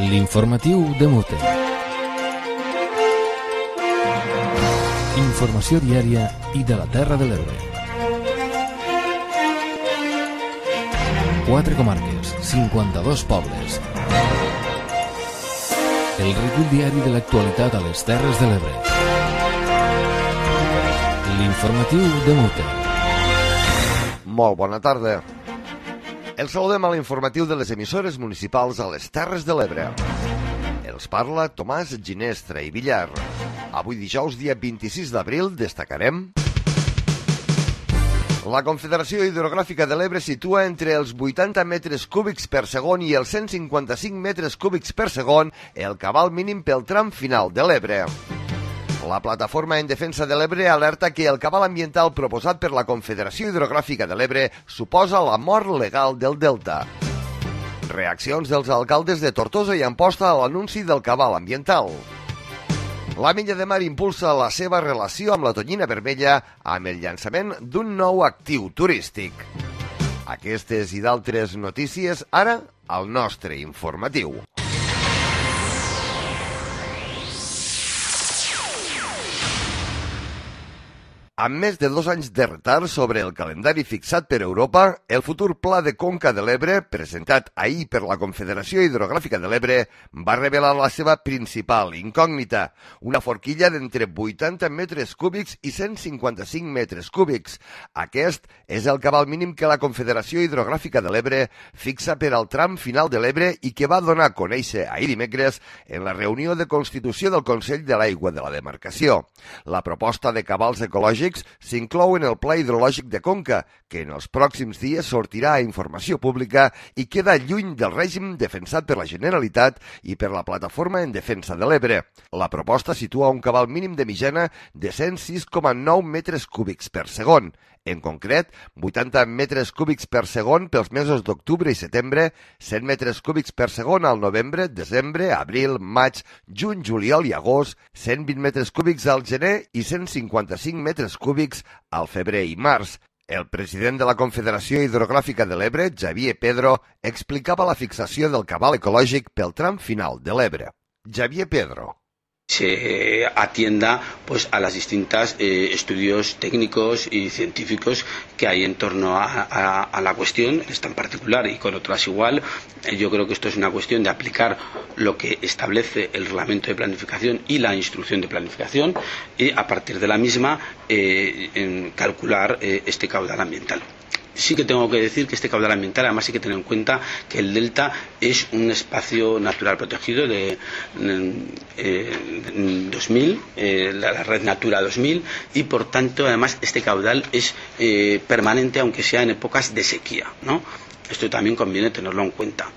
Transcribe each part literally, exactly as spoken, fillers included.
L'informatiu de Mute. Informació diària i de la Terra de l'Ebre. Quatre comarques, cinquanta-dos pobles. El recull diari de l'actualitat a les Terres de l'Ebre. L'informatiu de Mute. Molt bona tarda. El saludem a l'informatiu de les emissores municipals a les Terres de l'Ebre. Els parla Tomàs Ginestra i Villar. Avui dijous, dia vint-i-sis d'abril, destacarem... La Confederació Hidrogràfica de l'Ebre situa entre els vuitanta metres cúbics per segon i els cent cinquanta-cinc metres cúbics per segon el cabal mínim pel tram final de l'Ebre. La Plataforma en Defensa de l'Ebre alerta que el cabal ambiental proposat per la Confederació Hidrogràfica de l'Ebre suposa la mort legal del delta. Reaccions dels alcaldes de Tortosa i Amposta a l'anunci del cabal ambiental. La Milla de Mar impulsa la seva relació amb la tonyina vermella amb el llançament d'un nou actiu turístic. Aquestes i d'altres notícies ara al nostre informatiu. Amb més de dos anys de retard sobre el calendari fixat per Europa, el futur Pla de Conca de l'Ebre, presentat ahir per la Confederació Hidrogràfica de l'Ebre, va revelar la seva principal incògnita, una forquilla d'entre vuitanta metres cúbics i cent cinquanta-cinc metres cúbics. Aquest és el cabal mínim que la Confederació Hidrogràfica de l'Ebre fixa per al tram final de l'Ebre i que va donar a conèixer ahir dimecres en la reunió de constitució del Consell de l'Aigua de la Demarcació. La proposta de cabals ecològics s'inclou en el Pla Hidrològic de Conca, que en els pròxims dies sortirà a informació pública i queda lluny del règim defensat per la Generalitat i per la Plataforma en Defensa de l'Ebre. La proposta situa un cabal mínim de mitjana de cent sis coma nou metres cúbics per segon. En concret, vuitanta metres cúbics per segon pels mesos d'octubre i setembre, cent metres cúbics per segon al novembre, desembre, abril, maig, juny, juliol i agost, cent vint metres cúbics al gener i cent cinquanta-cinc metres cúbics al febrer i març. El president de la Confederació Hidrogràfica de l'Ebre, Xavier Pedro, explicava la fixació del cabal ecològic pel tram final de l'Ebre. Xavier Pedro. Se atienda pues a los distintos eh, estudios técnicos y científicos que hay en torno a, a, a la cuestión, esta en particular y con otras igual. Eh, yo creo que esto es una cuestión de aplicar lo que establece el reglamento de planificación y la instrucción de planificación y a partir de la misma eh, en calcular eh, este caudal ambiental. Sí que tengo que decir que este caudal ambiental, además hay que tener en cuenta que el delta es un espacio natural protegido de eh, dos mil, eh, la, la red Natura dos mil, y por tanto además este caudal es eh, permanente aunque sea en épocas de sequía, ¿no? Esto también conviene tenerlo en cuenta.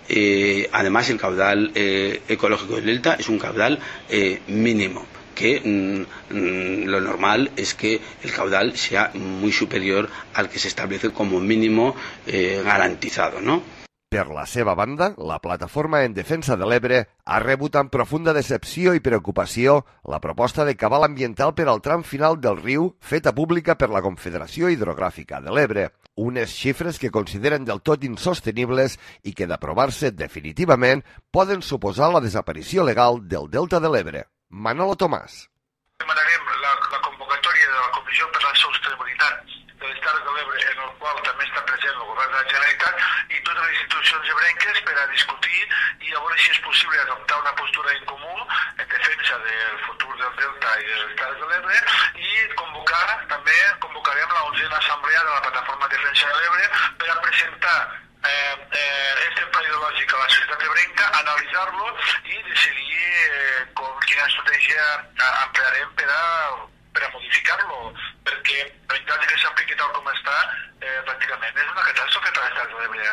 Eh, además el caudal eh, ecológico del delta es un caudal eh, mínimo, que mmm, lo normal es que el caudal sea muy superior al que se establece como mínimo eh, garantizado, ¿no? Per la seva banda, la Plataforma en Defensa de l'Ebre ha rebut amb profunda decepció i preocupació la proposta de cabal ambiental per al tram final del riu feta pública per la Confederació Hidrogràfica de l'Ebre. Unes xifres que consideren del tot insostenibles i que, d'aprovar-se definitivament, poden suposar la desaparició legal del delta de l'Ebre. Manolo Tomàs. Demanarem la, la convocatòria de la Comissió per la Sostenibilitat de les Terres de l'Ebre, en el qual també està present el Govern de la Generalitat i totes les institucions ebrenques per a discutir i a veure si és possible adoptar una postura en comú en defensa del futur del Delta i de les Terres de l'Ebre i convocar, també convocarem la onzena assemblea de la Plataforma de Defensa de l'Ebre per a presentar eh, eh, este pla ideològic a la societat ebrenca, analitzar-lo i decidir eh, com, quina estratègia emplearem per a, per a modificar-lo, perquè la veritat és que s'apliqui tal com està, eh, pràcticament és una catàstrofe per a les Terres de l'Ebre.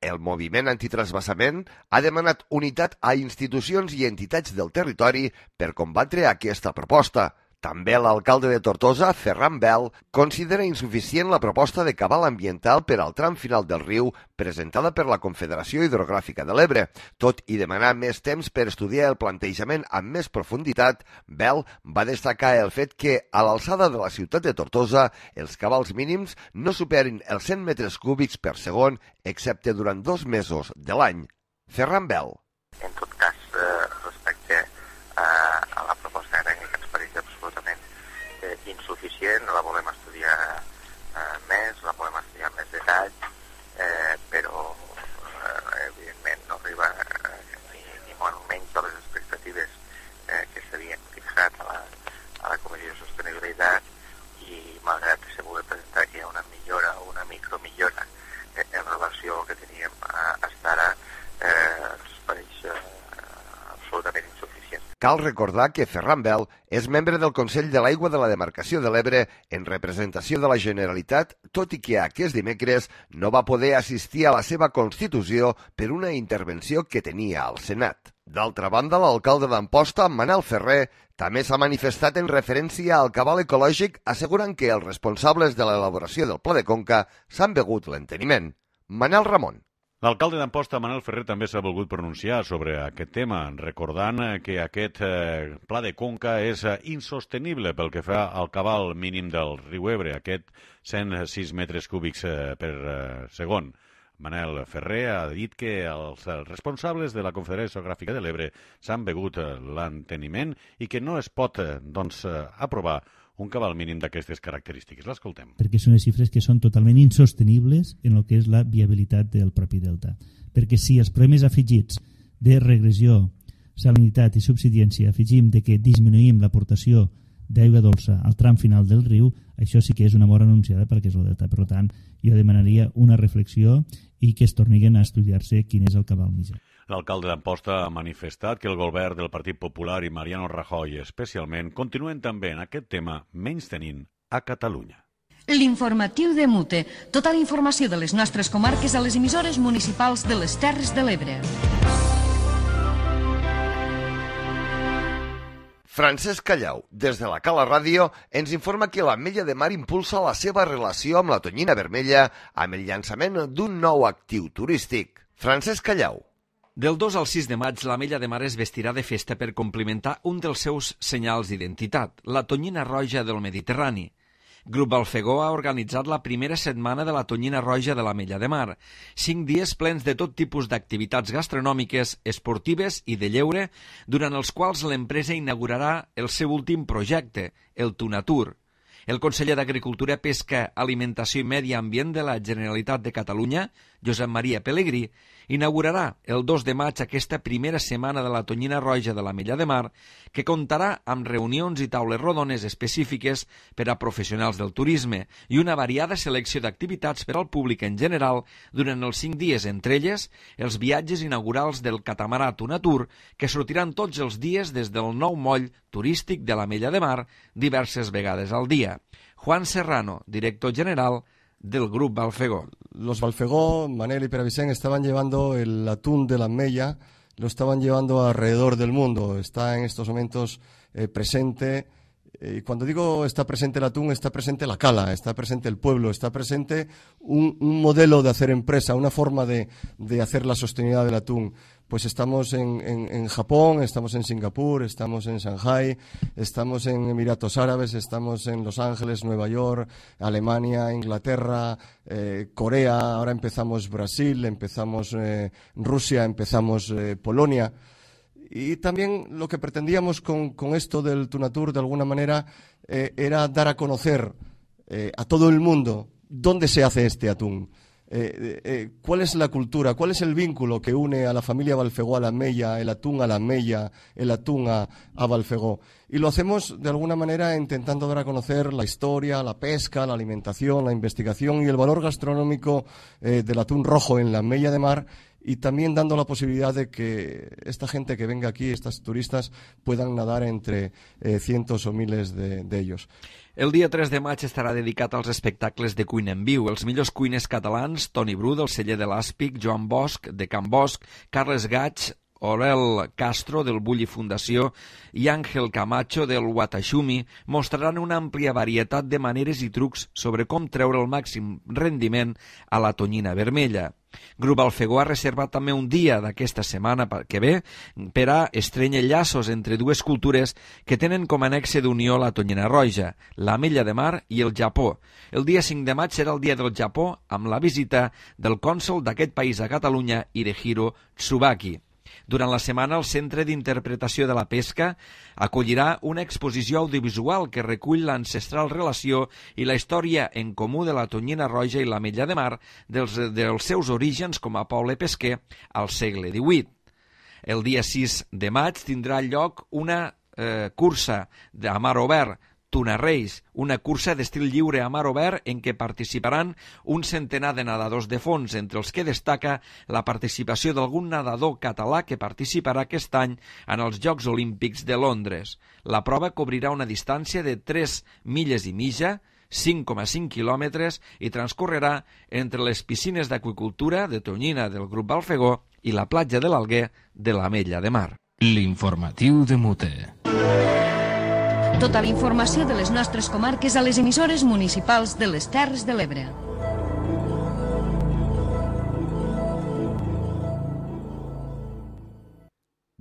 El moviment antitrasbassament ha demanat unitat a institucions i entitats del territori per combatre aquesta proposta. També l'alcalde de Tortosa, Ferran Bel, considera insuficient la proposta de cabal ambiental per al tram final del riu presentada per la Confederació Hidrogràfica de l'Ebre. Tot i demanar més temps per estudiar el plantejament amb més profunditat, Bel va destacar el fet que, a l'alçada de la ciutat de Tortosa, els cabals mínims no superin els cent metres cúbics per segon, excepte durant dos mesos de l'any. Ferran Bel. En tot cas, eh, respecte a, a la proposta tècnica que ens pareix absolutament eh, insuficient, la volem estudiar eh, més, la volem estudiar amb més detall, eh, però eh, evidentment no arriba eh, ni, ni molt menys a les expectatives eh, que s'havien fixat a la, a la Comissió de Sostenibilitat, i malgrat que se pugui presentar que hi ha una millora o una micromillora eh, en relació al que teníem a, hasta ara, eh, ens pareix eh, absolutament insuficient. Cal recordar que Ferran Bel és membre del Consell de l'Aigua de la Demarcació de l'Ebre en representació de la Generalitat, tot i que aquest dimecres no va poder assistir a la seva constitució per una intervenció que tenia al Senat. D'altra banda, l'alcalde d'Amposta, Manel Ferrer, també s'ha manifestat en referència al cabal ecològic, assegurant que els responsables de l'elaboració del Pla de Conca s'han begut l'enteniment. Manel Ramon. L'alcalde d'Amposta, Manel Ferrer, també s'ha volgut pronunciar sobre aquest tema, recordant que aquest eh, Pla de Conca és eh, insostenible pel que fa al cabal mínim del riu Ebre, aquest cent sis metres cúbics eh, per eh, segon. Manel Ferrer ha dit que els responsables de la Confederació Hidrogràfica de l'Ebre s'han begut l'enteniment i que no es pot doncs, aprovar un cabal mínim d'aquestes característiques. L'escoltem. Perquè són les xifres que són totalment insostenibles en el que és la viabilitat del propi delta. Perquè si els problemes afegits de regressió, salinitat i subsidència afegim de que disminuïm l'aportació d'aigua dolça al tram final del riu, això sí que és una mort anunciada perquè és el delta. Per tant, jo demanaria una reflexió i que es torniguin a estudiar-se quin és el cabal mitjà. L'alcalde d'Amposta ha manifestat que el govern del Partit Popular i Mariano Rajoy especialment continuen també en aquest tema menystenint a Catalunya. L'informatiu de Mute. Tota la informació de les nostres comarques a les emissores municipals de les Terres de l'Ebre. Francesc Callau, des de la Cala Ràdio, ens informa que l'Ametlla de Mar impulsa la seva relació amb la tonyina vermella amb el llançament d'un nou actiu turístic. Francesc Callau. Del dos al sis de maig, l'Ametlla de Mar es vestirà de festa per complementar un dels seus senyals d'identitat, la tonyina roja del Mediterrani. Grup Balfegó ha organitzat la primera setmana de la tonyina roja de l'Ametlla de Mar. Cinc dies plens de tot tipus d'activitats gastronòmiques, esportives i de lleure, durant els quals l'empresa inaugurarà el seu últim projecte, el Tunatur. El conseller d'Agricultura, Pesca, Alimentació i Medi Ambient de la Generalitat de Catalunya, Josep Maria Pelegrí, inaugurarà el dos de maig aquesta primera setmana de la tonyina roja de l'Ametlla de Mar, que comptarà amb reunions i taules rodones específiques per a professionals del turisme i una variada selecció d'activitats per al públic en general durant els cinc dies, entre elles els viatges inaugurals del catamarà Tunatur, que sortiran tots els dies des del nou moll turístic de l'Ametlla de Mar diverses vegades al dia. Juan Serrano, director general del Grup Balfegó. Los Balfegó, Manel y Pere Vicent, estaban llevando el atún de la Ametlla, lo estaban llevando alrededor del mundo. Está en estos momentos eh, presente, y eh, cuando digo está presente el atún, está presente la cala, está presente el pueblo, está presente un, un modelo de hacer empresa, una forma de, de hacer la sostenibilidad del atún. Pues estamos en, en, en Japón, estamos en Singapur, estamos en Shanghái, estamos en Emiratos Árabes, estamos en Los Ángeles, Nueva York, Alemania, Inglaterra, eh, Corea, ahora empezamos Brasil, empezamos eh, Rusia, empezamos eh, Polonia. Y también lo que pretendíamos con, con esto del Tunatur, de alguna manera, eh, era dar a conocer eh, a todo el mundo dónde se hace este atún. Eh, eh, ¿Cuál es la cultura? ¿Cuál es el vínculo que une a la familia Balfegó a la Ametlla, el atún a la Ametlla, el atún a, a Balfegó? Y lo hacemos de alguna manera intentando dar a conocer la historia, la pesca, la alimentación, la investigación y el valor gastronómico eh, del atún rojo en la Ametlla de Mar, y también dando la posibilidad de que esta gente que venga aquí, estos turistas, puedan nadar entre eh, cientos o miles de, de ellos. El dia tres de maig estarà dedicat als espectacles de cuina en viu. Els millors cuiners catalans, Toni Bru, del celler de l'Àspic, Joan Bosch, de Can Bosch, Carles Gaig, Orel Castro, del Bulli Fundació, i Àngel Camacho, del Watashumi, mostraran una àmplia varietat de maneres i trucs sobre com treure el màxim rendiment a la tonyina vermella. Grup Balfegó ha reservat també un dia d'aquesta setmana que ve per a estrenyar llaços entre dues cultures que tenen com a nexe d'unió la tonyina roja, l'Ametlla de Mar i el Japó. El dia cinc de maig serà el dia del Japó amb la visita del cònsol d'aquest país a Catalunya, Hirehiro Tsubaki. Durant la setmana, el Centre d'Interpretació de la Pesca acollirà una exposició audiovisual que recull l'ancestral relació i la història en comú de la tonyina roja i l'Ametlla de Mar dels, dels seus orígens com a poble pesquer al segle divuit. El dia sis de maig tindrà lloc una eh, cursa a mar obert, Tuna Reis, una cursa d'estil lliure a mar obert en què participaran un centenar de nedadors de fons, entre els que destaca la participació d'algun nedador català que participarà aquest any en els Jocs Olímpics de Londres. La prova cobrirà una distància de tres milles i mitja, cinc coma cinc quilòmetres, i transcorrerà entre les piscines d'aqüicultura de Tonyina del Grup Balfegó i la platja de l'Alguer de l'Ametlla de Mar. L'informatiu de Mute. Tota la informació de les nostres comarques a les emissores municipals de les Terres de l'Ebre.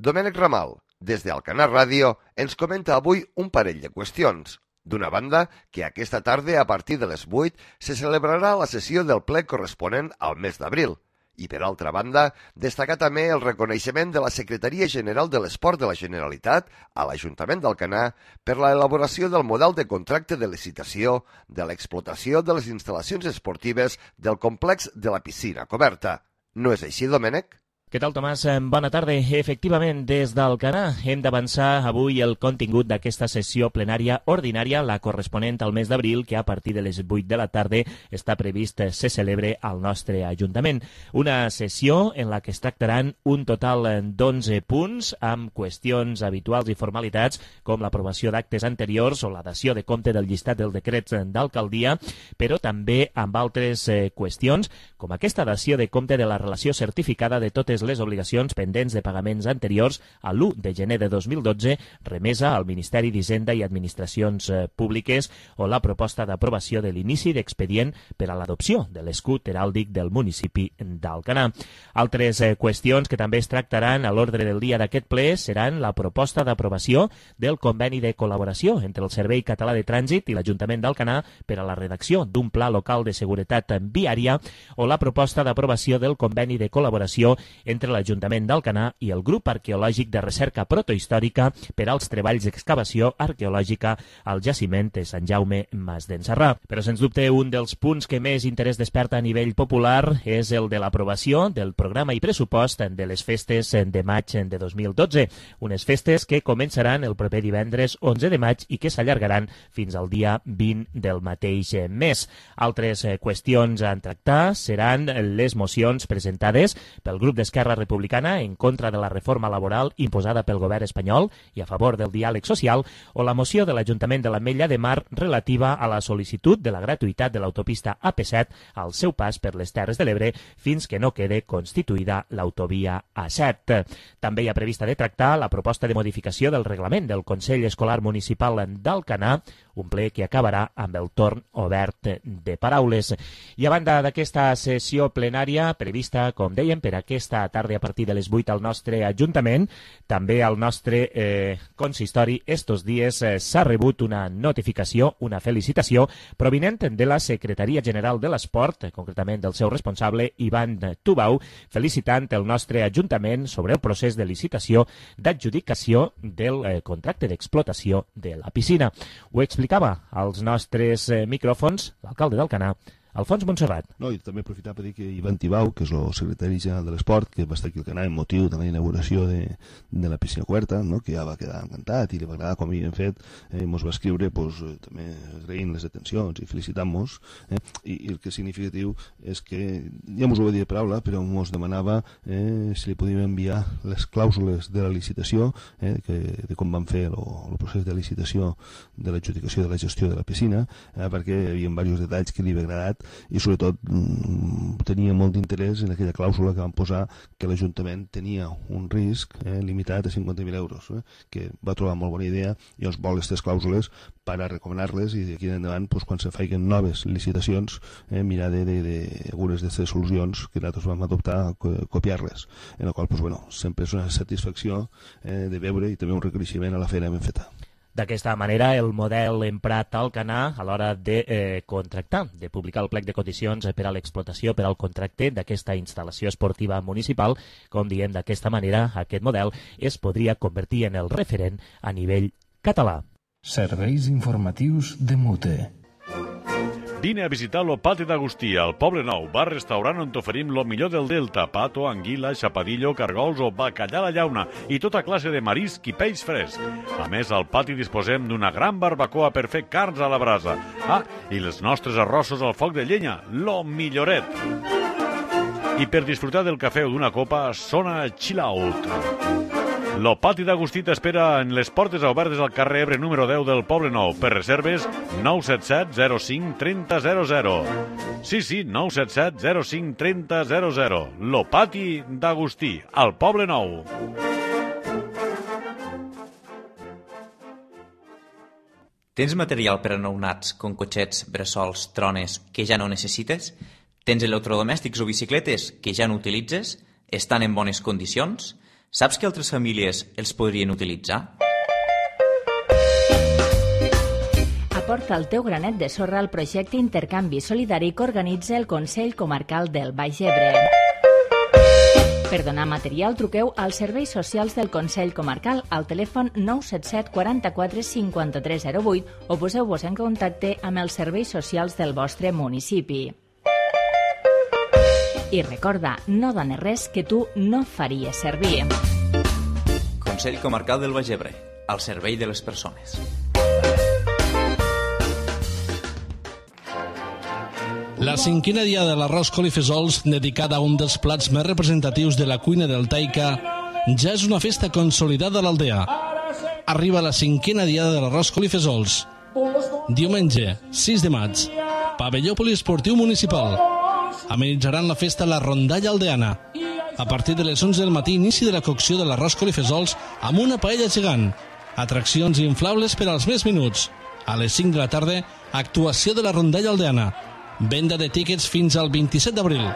Domènec Ramal, des d'Alcanar Ràdio, ens comenta avui un parell de qüestions. D'una banda, que aquesta tarda, a partir de les vuit, se celebrarà la sessió del ple corresponent al mes d'abril. I, per altra banda, destacar també el reconeixement de la Secretaria General de l'Esport de la Generalitat a l'Ajuntament d'Alcanar per la elaboració del model de contracte de licitació de l'explotació de les instal·lacions esportives del complex de la piscina coberta. No és així, Domènec? Què tal, Tomàs? Bona tarda. Efectivament, des d'Alcanar hem d'avançar avui el contingut d'aquesta sessió plenària ordinària, la corresponent al mes d'abril, que a partir de les vuit de la tarda està previst se celebre al nostre Ajuntament. Una sessió en la que es tractaran un total d'onze punts amb qüestions habituals i formalitats com l'aprovació d'actes anteriors o la dació de compte del llistat dels decrets d'alcaldia, però també amb altres qüestions com aquesta dació de compte de la relació certificada de totes les obligacions pendents de pagaments anteriors a l'u de gener de dos mil dotze, remesa al Ministeri d'Hisenda i Administracions Públiques, o la proposta d'aprovació de l'inici d'expedient per a l'adopció de l'escut heràldic del municipi d'Alcanar. Altres qüestions que també es tractaran a l'ordre del dia d'aquest ple seran la proposta d'aprovació del conveni de col·laboració entre el Servei Català de Trànsit i l'Ajuntament d'Alcanar per a la redacció d'un pla local de seguretat viària, o la proposta d'aprovació del conveni de col·laboració entre l'Ajuntament d'Alcanar i el Grup Arqueològic de Recerca Protohistòrica per als treballs d'excavació arqueològica al jaciment de Sant Jaume Mas d'en Sarrà. Però, sens dubte, un dels punts que més interès desperta a nivell popular és el de l'aprovació del programa i pressupost de les festes de maig de dos mil dotze. Unes festes que començaran el proper divendres onze de maig i que s'allargaran fins al dia vint del mateix mes. Altres qüestions a tractar seran les mocions presentades pel grup d'Esquerra Republicana en contra de la reforma laboral imposada pel govern espanyol i a favor del diàleg social, o la moció de l'Ajuntament de l'Ametlla de Mar relativa a la sol·licitud de la gratuïtat de l'autopista A P set al seu pas per les Terres de l'Ebre fins que no quede constituïda l'autovia A set. També hi ha prevista de tractar la proposta de modificació del reglament del Consell Escolar Municipal d'Alcanar, un ple que acabarà amb el torn obert de paraules. I a banda d'aquesta sessió plenària prevista, com dèiem, per aquesta tarda a partir de les vuit al nostre Ajuntament, també al nostre eh, consistori estos dies eh, s'ha rebut una notificació, una felicitació provinent de la Secretaria General de l'Esport, eh, concretament del seu responsable, Ivan Tubau, felicitant el nostre Ajuntament sobre el procés de licitació d'adjudicació del eh, contracte d'explotació de la piscina. Ho explicava als nostres eh, micròfons l'alcalde d'Alcanar, Alfons Montserrat. No, i també aprofitar per dir que Ivan Tibau, que és el secretari general de l'Esport, que va estar aquí al Canà en motiu de la inauguració de, de la piscina coberta, no? Que ja va quedar encantat i li va agradar com hi hem fet, eh, ens va escriure pues, eh, també agraint les atencions i felicitant-nos, eh? I, i el que és significatiu és que, ja ens ho va dir de paraula, però ens demanava eh, si li podíem enviar les clàusules de la licitació, eh, que, de com van fer el procés de licitació de l'adjudicació de la gestió de la piscina, eh, perquè hi havia diversos detalls que li havia agradat i sobretot tenia molt d'interès en aquella clàusula que van posar que l'Ajuntament tenia un risc eh, limitat a cinquanta mil euros, eh, que va trobar molt bona idea i ens vol aquestes clàusules per a recomanar-les i d'aquí endavant pues, quan se facin noves licitacions eh, mirar de, de, de algunes d'aquestes solucions que nosaltres vam adoptar copiar-les, en la qual pues, bueno, sempre és una satisfacció eh, de veure i també un reconeixement a la feina ben feta. D'aquesta manera, el model emprat al Canà a l'hora de eh, contractar, de publicar el plec de condicions per a l'explotació per al contracte d'aquesta instal·lació esportiva municipal, com diem d'aquesta manera, aquest model es podria convertir en el referent a nivell català. Serveis informatius de Mute. Vine a visitar lo Pati d'Agustí, al Poble Nou, bar-restaurant on t'oferim lo millor del Delta, pato, anguila, xapadillo, cargols o bacallà a la llauna i tota classe de marisc i peix fresc. A més, al pati disposem d'una gran barbacoa per fer carns a la brasa. Ah, i els nostres arrossos al foc de llenya, lo milloret. I per disfrutar del cafè o d'una copa, sona Chill Out. Lo Pati d'Agustí t'espera en les portes obertes al carrer Ebre número deu del Poble Nou. Per reserves, nou set set zero cinc trenta zero zero. Sí, sí, nou set set zero cinc trenta zero zero. Lo Pati d'Agustí, al Poble Nou. Tens material per a nounats, com cotxets, bressols, trones, que ja no necessites? Tens electrodomèstics o bicicletes que ja no utilitzes? Estan en bones condicions? Saps que altres famílies els podrien utilitzar? Aporta el teu granet de sorra al projecte Intercanvi Solidari que organitza el Consell Comarcal del Baix Ebre. Per donar material, truqueu als serveis socials del Consell Comarcal al telèfon nou set set quaranta-quatre cinquanta-tres zero vuit o poseu-vos en contacte amb els serveis socials del vostre municipi. I recorda, no dones res que tu no faries servir. Consell Comarcal del Baix Ebre, al servei de les persones. La cinquena dia de l'arròs col i fesols, dedicada a un dels plats més representatius de la cuina deltaica, ja és una festa consolidada a l'aldea. Arriba la cinquena diada de l'arròs col i fesols. Diumenge, sis de maig, pavelló poliesportiu municipal. Amenitzaran la festa la rondalla aldeana. A partir de les onze del matí, inici de la cocció de l'arròs col i fesols amb una paella gegant. Atraccions inflables per als més minuts. A les cinc de la tarda, actuació de la rondalla aldeana. Venda de tíquets fins al vint-i-set d'abril.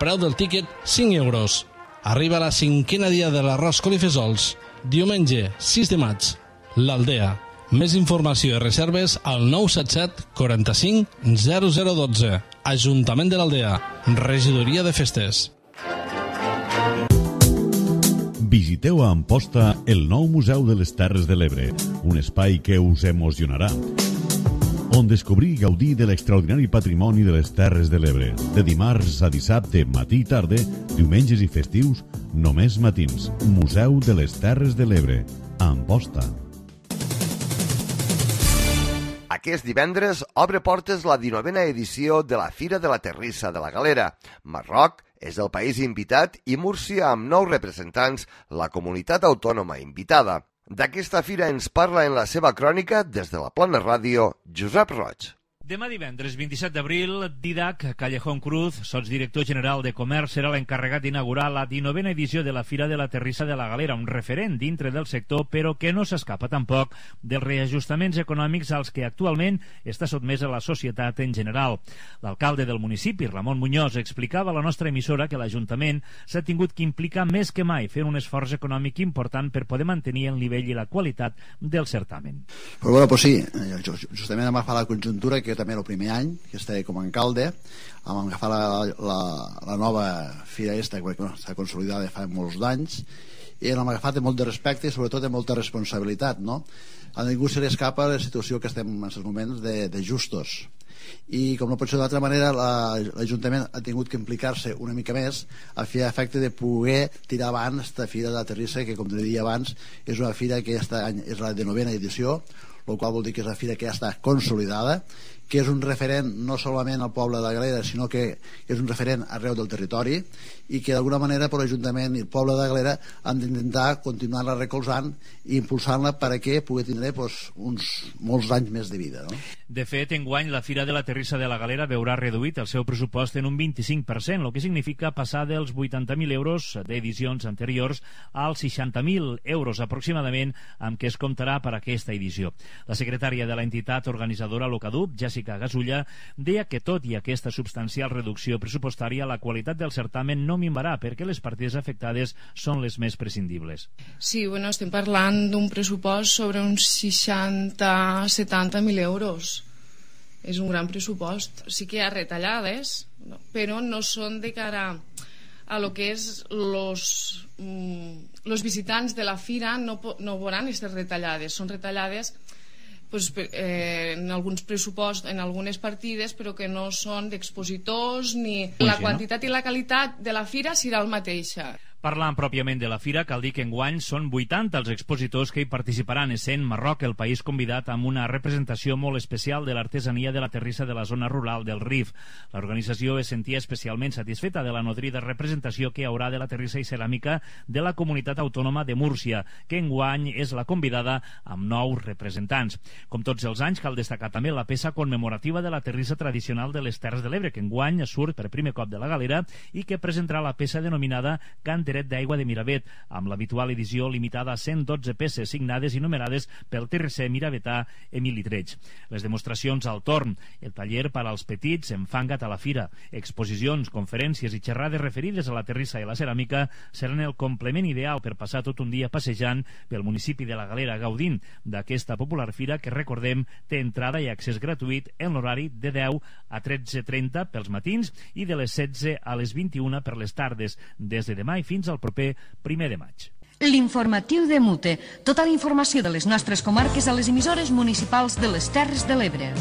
Preu del tíquet, cinc euros. Arriba la cinquena dia de l'arròs col i fesols. Diumenge, sis de maig. L'Aldea. Més informació i reserves al nou set set quaranta-cinc zero zero dotze. Ajuntament de l'Aldea. Regidoria de Festes. Visiteu a Amposta el nou Museu de les Terres de l'Ebre, un espai que us emocionarà, on descobrir i gaudir de l'extraordinari patrimoni de les Terres de l'Ebre. De dimarts a dissabte, matí i tarda, diumenges i festius, només matins. Museu de les Terres de l'Ebre, a Amposta. Aquest divendres obre portes la dinovena edició de la Fira de la Terrissa de la Galera. Marroc és el país invitat i Múrcia, amb nou representants, la comunitat autònoma invitada. D'aquesta fira ens parla en la seva crònica des de la Plana Ràdio, Josep Roig. Demà divendres vint-i-set d'abril, Didac Callejón Cruz, sotsdirector general de Comerç, serà l'encarregat d'inaugurar la dinovena edició de la Fira de la Terrissa de la Galera, un referent dintre del sector, però que no s'escapa tampoc dels reajustaments econòmics als que actualment està sotmesa la societat en general. L'alcalde del municipi, Ramon Muñoz, explicava a la nostra emissora que l'Ajuntament s'ha tingut que implicar més que mai fent un esforç econòmic important per poder mantenir el nivell i la qualitat del certamen. Pues bueno, pues sí, justament hem agafat la conjuntura que també el primer any que estava com a alcalde, vam agafar la, la, la nova fira esta que bueno, està consolidada fa molts anys i l'hem agafat amb molt de respecte i sobretot amb molta responsabilitat, no? A ningú se li escapa la situació que estem en aquests moments de, de justos i com no pot ser d'altra manera l'Ajuntament ha tingut que implicar-se una mica més a fer efecte de poder tirar avant aquesta fira de la Terrissa que com te deia abans és una fira que aquest any és la de novena edició, el qual vol dir que és una fira que ja està consolidada, que és un referent no solament al poble de la Galera, sinó que és un referent arreu del territori i que d'alguna manera per l'Ajuntament i el poble de la Galera han d'intentar continuar-la recolzant i impulsant-la perquè pugui tindre pues, uns molts anys més de vida. No? De fet, enguany la Fira de la Terrissa de la Galera veurà reduït el seu pressupost en un vint-i-cinc per cent, el que significa passar dels vuitanta mil euros d'edicions anteriors als seixanta mil euros aproximadament amb què es comptarà per aquesta edició. La secretària de l'entitat organitzadora Locadup, Jessica Jessica Gasulla, deia que tot i aquesta substancial reducció pressupostària, la qualitat del certamen no minvarà perquè les partides afectades són les més prescindibles. Sí, bueno, estem parlant d'un pressupost sobre uns seixanta a setanta mil euros. És un gran pressupost. Sí que hi ha retallades, però no són de cara a lo que és los, mm, los visitants de la fira, no, no veuran aquestes retallades. Són retallades pues, eh, en alguns pressuposts, en algunes partides, però que no són d'expositors ni... La quantitat i la qualitat de la fira serà el mateixa. Parlant pròpiament de la fira, cal dir que enguany són vuitanta els expositors que hi participaran, essent Marroc el país convidat amb una representació molt especial de l'artesania de la terrissa de la zona rural del Rif. L'organització es sentia especialment satisfeta de la nodrida representació que hi haurà de la terrissa i ceràmica de la comunitat autònoma de Múrcia, que enguany és la convidada amb nou representants. Com tots els anys, cal destacar també la peça commemorativa de la terrissa tradicional de les Terres de l'Ebre, que enguany surt per primer cop de la galera i que presentarà la peça denominada Canteret d'aigua de Miravet, amb l'habitual edició limitada a cent dotze peces signades i numerades pel terrisser miravetà Emili Treig. Les demostracions al torn, el taller per als petits Enfanga't a la fira, exposicions, conferències i xerrades referides a la terrissa i la ceràmica seran el complement ideal per passar tot un dia passejant pel municipi de la Galera gaudint d'aquesta popular fira que, recordem, té entrada i accés gratuït en l'horari de deu a tretze trenta pels matins i de les setze a les vint-i-una per les tardes, des de demà i fins al proper primer de maig. L'informatiu de Mute. Tota la informació de les nostres comarques a les emissores municipals de les Terres de l'Ebre.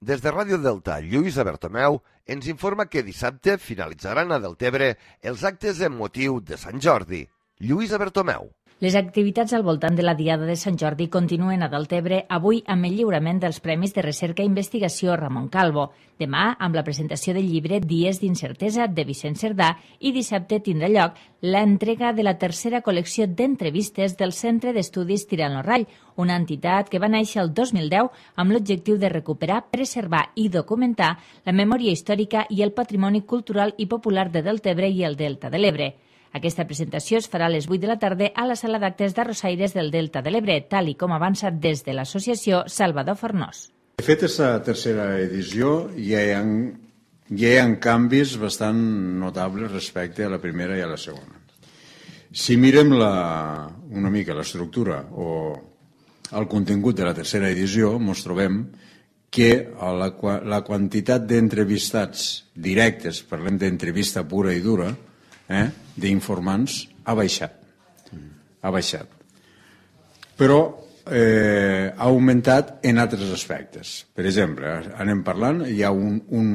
Des de Ràdio Delta, Lluïsa Bertomeu ens informa que dissabte finalitzaran a Deltebre els actes en motiu de Sant Jordi. Lluïsa Bertomeu. Les activitats al voltant de la Diada de Sant Jordi continuen a Deltebre avui amb el lliurament dels Premis de Recerca i Investigació Ramon Calvo, demà amb la presentació del llibre Dies d'incertesa de Vicent Cerdà i dissabte tindrà lloc l'entrega de la tercera col·lecció d'entrevistes del Centre d'Estudis Tirant lo Rall, una entitat que va néixer el dos mil deu amb l'objectiu de recuperar, preservar i documentar la memòria històrica i el patrimoni cultural i popular de Deltebre i el Delta de l'Ebre. Aquesta presentació es farà a les vuit de la tarda a la sala d'actes d'Arrossaires del Delta de l'Ebre, tal i com avança des de l'associació Salvador Fornós. De fet, aquesta tercera edició ja hi ha, ja hi ha canvis bastant notables respecte a la primera i a la segona. Si mirem la, una mica l'estructura o el contingut de la tercera edició, ens trobem que la, la quantitat d'entrevistats directes, parlem d'entrevista pura i dura, Eh, d'informants ha baixat ha baixat però eh, ha augmentat en altres aspectes. Per exemple, anem parlant, hi ha un, un,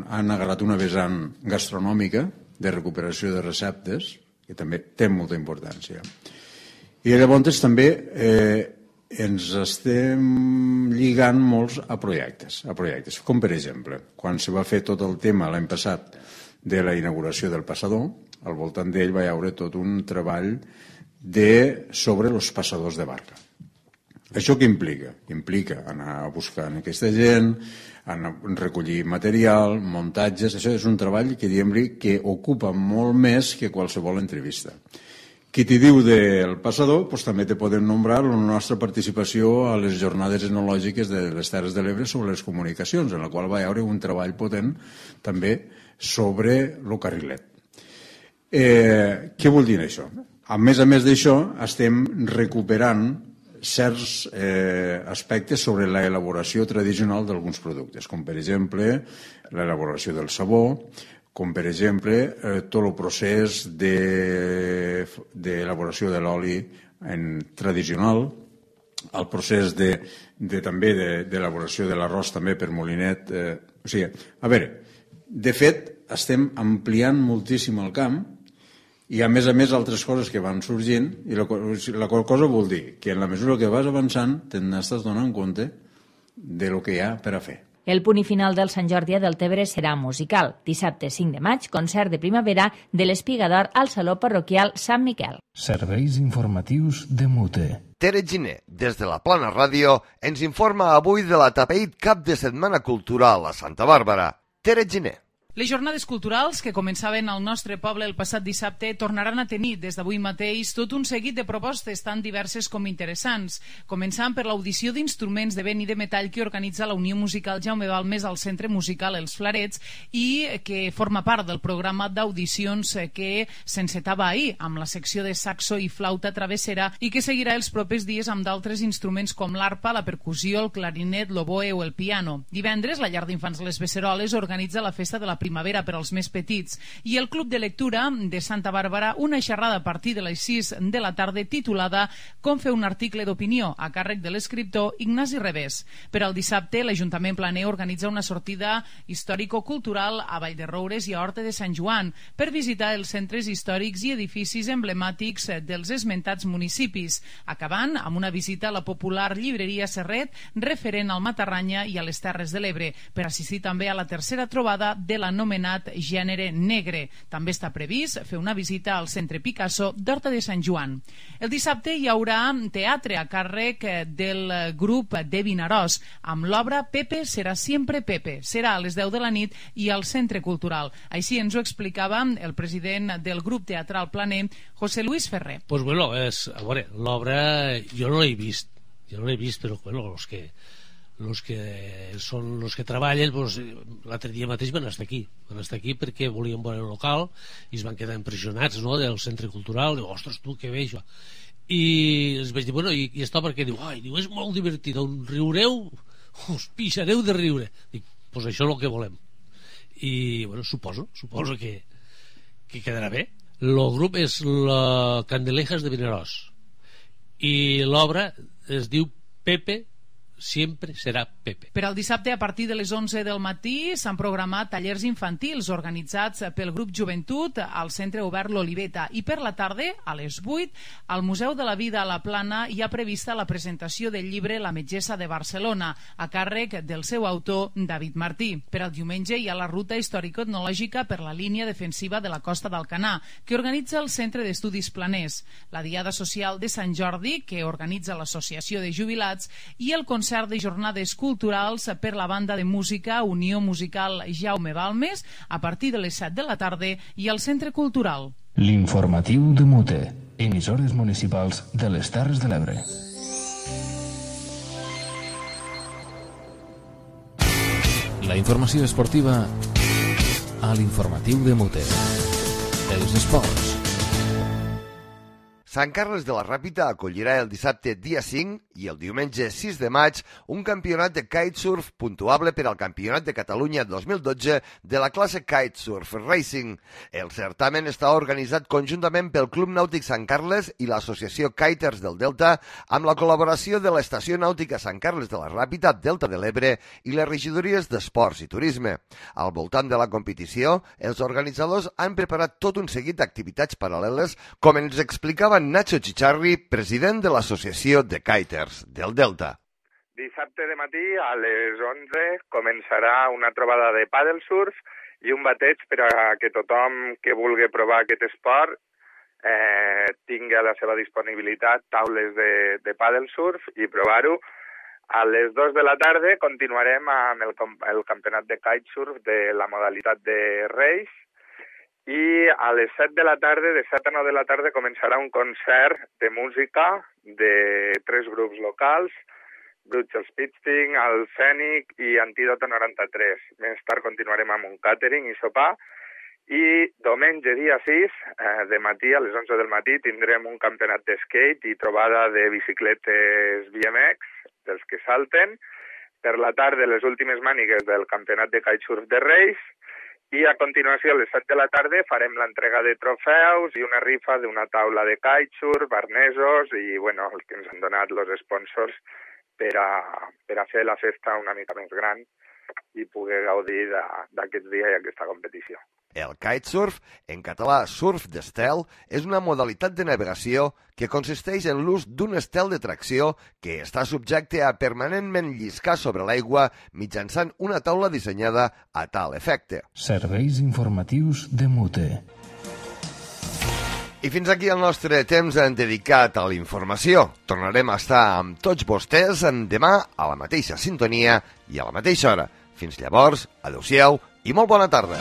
han agarrat una vessant gastronòmica de recuperació de receptes que també té molta importància, i llavors també eh, ens estem lligant molts a projectes, a projectes com per exemple quan se va fer tot el tema l'any passat de la inauguració del passador. Al voltant d'ell va haver tot un treball de, sobre els passadors de barca. Això què implica? Implica anar a buscar aquesta gent, anar a recollir material, muntatges. Això és un treball que, diem, que ocupa molt més que qualsevol entrevista. Qui t'hi diu del passador, doncs també te podem nombrar la nostra participació a les jornades etnològiques de les Terres de l'Ebre sobre les comunicacions, en la qual va haver un treball potent també sobre el carrilet. Eh, què vol dir això? A més a més d'això, estem recuperant certs eh, aspectes sobre l'elaboració tradicional d'alguns productes, com per exemple l'elaboració del sabó, com per exemple eh, tot el procés d'elaboració de, de l'oli tradicional, el procés de, de, també d'elaboració de, de l'arròs també per molinet. Eh, o sigui, a veure, de fet, estem ampliant moltíssim el camp i a més a més altres coses que van sorgint, i la, la qual cosa vol dir que en la mesura que vas avançant te n'estàs donant compte de lo que hi ha per a fer. El punt i final del Sant Jordi a Deltebre serà musical. Dissabte cinc de maig, concert de primavera de l'Espigador al Saló Parroquial Sant Miquel. Serveis informatius de Mute. Tere Giner, des de la Plana Ràdio, ens informa avui de la Tapeït Cap de Setmana Cultural a Santa Bàrbara. Tere Giner. Les jornades culturals que començaven al nostre poble el passat dissabte tornaran a tenir des d'avui mateix tot un seguit de propostes tan diverses com interessants, començant per l'audició d'instruments de vent i de metall que organitza la Unió Musical Jaume Balmes al Centre Musical Els Flarets i que forma part del programa d'audicions que s'encetava ahir amb la secció de saxo i flauta travessera i que seguirà els propers dies amb d'altres instruments com l'arpa, la percussió, el clarinet, l'oboe o el piano. Divendres, la llar d'infants Les Beceroles organitza la festa de la primavera per als més petits i el Club de Lectura de Santa Bàrbara una xerrada a partir de les sis de la tarda titulada Com fer un article d'opinió a càrrec de l'escriptor Ignasi Revés. Per al dissabte, l'Ajuntament Planer organitza una sortida històrico-cultural a Vallderoures i a Horta de Sant Joan per visitar els centres històrics i edificis emblemàtics dels esmentats municipis, acabant amb una visita a la popular llibreria Serret referent al Matarranya i a les Terres de l'Ebre, per assistir també a la tercera trobada de l'anomenat gènere negre. També està previst fer una visita al Centre Picasso d'Horta de Sant Joan. El dissabte hi haurà teatre a càrrec del grup de Vinaròs amb l'obra Pepe serà sempre Pepe. Serà a les deu de la nit i al Centre Cultural. Així ens ho explicava el president del grup teatral Planer, José Luis Ferrer. Pues bueno, és, a veure, l'obra jo no l'he vist, jo no l'he vist, però bueno, els que los que són los que treballen, pues, l'altre dia mateix van estar aquí van estar aquí perquè volien veure el local i es van quedar impressionats, no?, del centre cultural. Diu, ostres, tu, què bé això. I els vaig dir, bueno, i, i està perquè diu, ai, diu, és molt divertit, on riureu, us pixareu de riure. Dic, pues això és el que volem. I, bueno, suposo, suposo que, que quedarà bé. El grup és la Candelejas de Vinaròs i l'obra es diu Pepe sempre serà Pepe. Per al dissabte, a partir de les onze del matí, s'han programat tallers infantils organitzats pel grup Joventut al Centre Obert L'Oliveta i per la tarda, a les vuit, al Museu de la Vida a la Plana hi ha prevista la presentació del llibre La metgessa de Barcelona, a càrrec del seu autor, David Martí. Per al diumenge hi ha la ruta històrico-etnològica per la línia defensiva de la Costa d'Alcanar, que organitza el Centre d'Estudis Planers, la Diada Social de Sant Jordi, que organitza l'Associació de Jubilats, i el concert de jornades culturals per la banda de música Unió Musical Jaume Balmes a partir de les set de la tarda i al Centre Cultural. L'informatiu de Mute, emissores municipals de les Terres de l'Ebre. La informació esportiva a l'informatiu de Mute. Els esports. Sant Carles de la Ràpita acollirà el dissabte dia cinc i el diumenge sis de maig un campionat de kitesurf puntuable per al Campionat de Catalunya dos mil dotze de la classe Kitesurf Racing. El certamen està organitzat conjuntament pel Club Nàutic Sant Carles i l'Associació Kiters del Delta amb la col·laboració de l'Estació Nàutica Sant Carles de la Ràpita, Delta de l'Ebre i les regidories d'Esports i Turisme. Al voltant de la competició, els organitzadors han preparat tot un seguit d'activitats paral·leles, com ens explicava Nacho Chicharri, president de l'Associació de Kiters del Delta. Dissabte de matí a les onze començarà una trobada de paddle surf i un bateig per a que tothom que vulgui provar aquest esport eh, tingui a la seva disponibilitat taules de, de paddle surf i provar-ho. A les dues de la tarda continuarem amb el, el campionat de kitesurf de la modalitat de race. I a les set de la tarda, de set a nou de la tarda, començarà un concert de música de tres grups locals, Bruts Spitting, el Fènic i Antídoto noranta-tres. Més tard continuarem amb un catering i sopar. I diumenge, dia sis, eh, de matí, a les onze del matí, tindrem un campionat de skate i trobada de bicicletes B M X, dels que salten. Per la tarda, les últimes mànigues del campionat de kitesurf de race. I a continuació, a les set de la tarda, farem l'entrega de trofeus i una rifa d'una taula de kitesurf, arnesos i, bueno, el que ens han donat els sponsors per a, per a fer la festa una mica més gran i poder gaudir d'aquest dia i aquesta competició. El kitesurf, en català surf d'estel, és una modalitat de navegació que consisteix en l'ús d'un estel de tracció que està subjecte a permanentment lliscar sobre l'aigua mitjançant una taula dissenyada a tal efecte. Serveis informatius de Mute. I fins aquí el nostre temps dedicat a la informació. Tornarem a estar amb tots vostès demà a la mateixa sintonia i a la mateixa hora. Fins llavors, adeu-siau i molt bona tarda.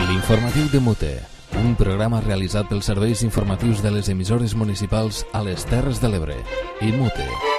L'informatiu de Mute, un programa realitzat pels serveis informatius de les emissores municipals a les Terres de l'Ebre i Mute.